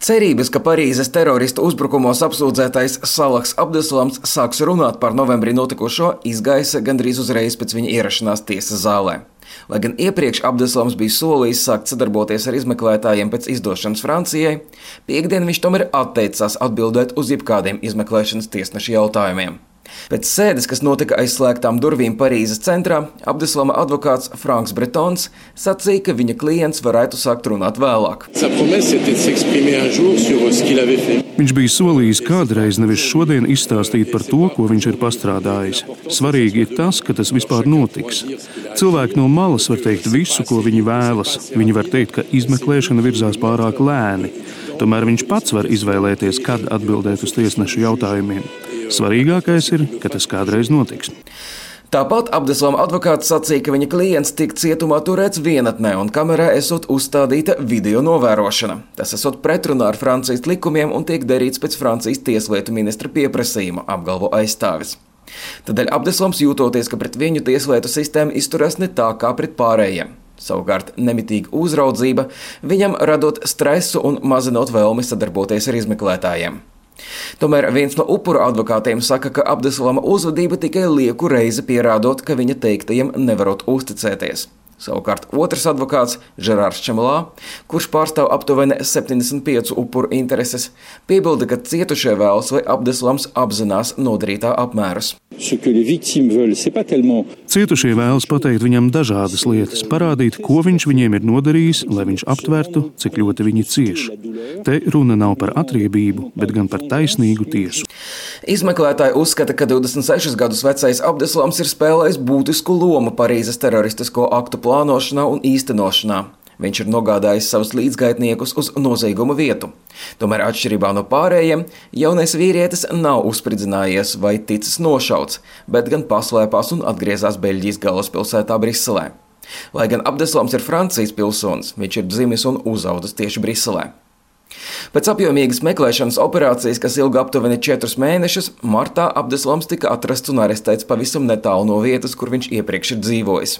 Cerības, ka Parīzes teroristu uzbrukumos apsūdzētais Salahs Abdeslams sāks runāt par novembrī notikušo, izgaisa gandrīz uzreiz pēc viņa ierašanās tiesas zālē. Lai gan iepriekš Abdeslams bija solījis sākt sadarboties ar izmeklētājiem pēc izdošanas Francijai, piektdien viņš tomēr atteicās atbildēt uz jebkādiem izmeklēšanas tiesneša jautājumiem. Pēc sēdes, kas notika aiz slēgtām durvīm Parīzes centrā, Abdeslama advokāts Franks Bretons sacīja, ka viņa klients varētu sākt runāt vēlāk. Viņš bija solījis kādreiz, nevis šodien, izstāstīt par to, ko viņš ir pastrādājis. Svarīgi ir tas, ka tas vispār notiks. Cilvēki no malas var teikt visu, ko viņi vēlas. Viņi var teikt, ka izmeklēšana virzās pārāk lēni. Tomēr viņš pats var izvēlēties, kad atbildēt uz tiesnešu jautājumiem. Svarīgākais ir, ka tas kādreiz notiks. Tāpat Abdeslama advokāts sacīja, ka viņa klients tika cietumā turēts vienatnē un kamerā esot uzstādīta video novērošana. Tas esot pretrunā ar Francijas likumiem un tiek darīts pēc Francijas tieslietu ministra pieprasījuma, apgalvo aizstāvis. Tādēļ Abdeslams jūtoties, ka pret viņu tieslietu sistēma izturās ne tā kā pret pārējiem. Savukārt nemitīga uzraudzība viņam radot stresu un mazinot vēlmi sadarboties ar izmeklētājiem. Tomēr viens no upuru advokātiem saka, ka Abdeslama uzvedība tikai lieku reizi pierādot, ka viņa teiktajiem nevarot uzticēties. Savukārt otrs advokāts, Žerārs Čemelā, kurš pārstāv aptuveni 75 upuru intereses, piebilda, ka cietušie vēlas, lai Abdeslams apzinās nodarītā apmērus. Cietušie vēlas pateikt viņam dažādas lietas, parādīt, ko viņš viņiem ir nodarījis, lai viņš aptvertu, cik ļoti viņi cieš. Te runa nav par atriebību, bet gan par taisnīgu tiesu. Izmeklētāji uzskata, ka 26 gadus vecais Abdeslams ir spēlējis būtisku lomu Parīzes teroristisko aktu plānošanā un īstenošanā. Viņš ir nogādājis savus līdzgaitniekus uz nozieguma vietu. Tomēr atšķirībā no pārējiem, jaunais vīrietis nav uzspridzinājies vai ticis nošauts, bet gan paslēpās un atgriezās Beļģijas galvaspilsētā Briselē. Lai gan Abdeslams ir Francijas pilsonis, viņš ir dzimis un uzaudzis tieši Briselē. Pēc apjomīgas meklēšanas operācijas, kas ilga aptuveni 4 mēnešus, martā Abdeslams tika atrasts un arestēts pavisam netālu no vietas, kur viņš iepriekš ir dzīvojis.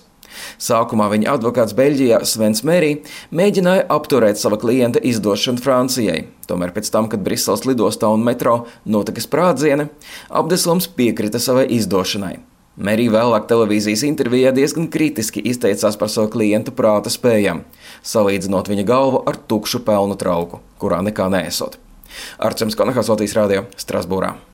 Sākumā viņa advokāts Beļģijā Svens Merī mēģināja apturēt sava klienta izdošanu Francijai. Tomēr pēc tam, kad Briseles lidostā un metro notika sprādzieni, Abdeslams piekrita savai izdošanai. Merī vēlāk televīzijas intervijā diezgan kritiski izteicās par savu klienta prāta spējām, salīdzinot viņa galvu ar tukšu pelnu trauku, kurā nekā neesot. Arčuns Konahas, Latvijas radio, Strasbūrā.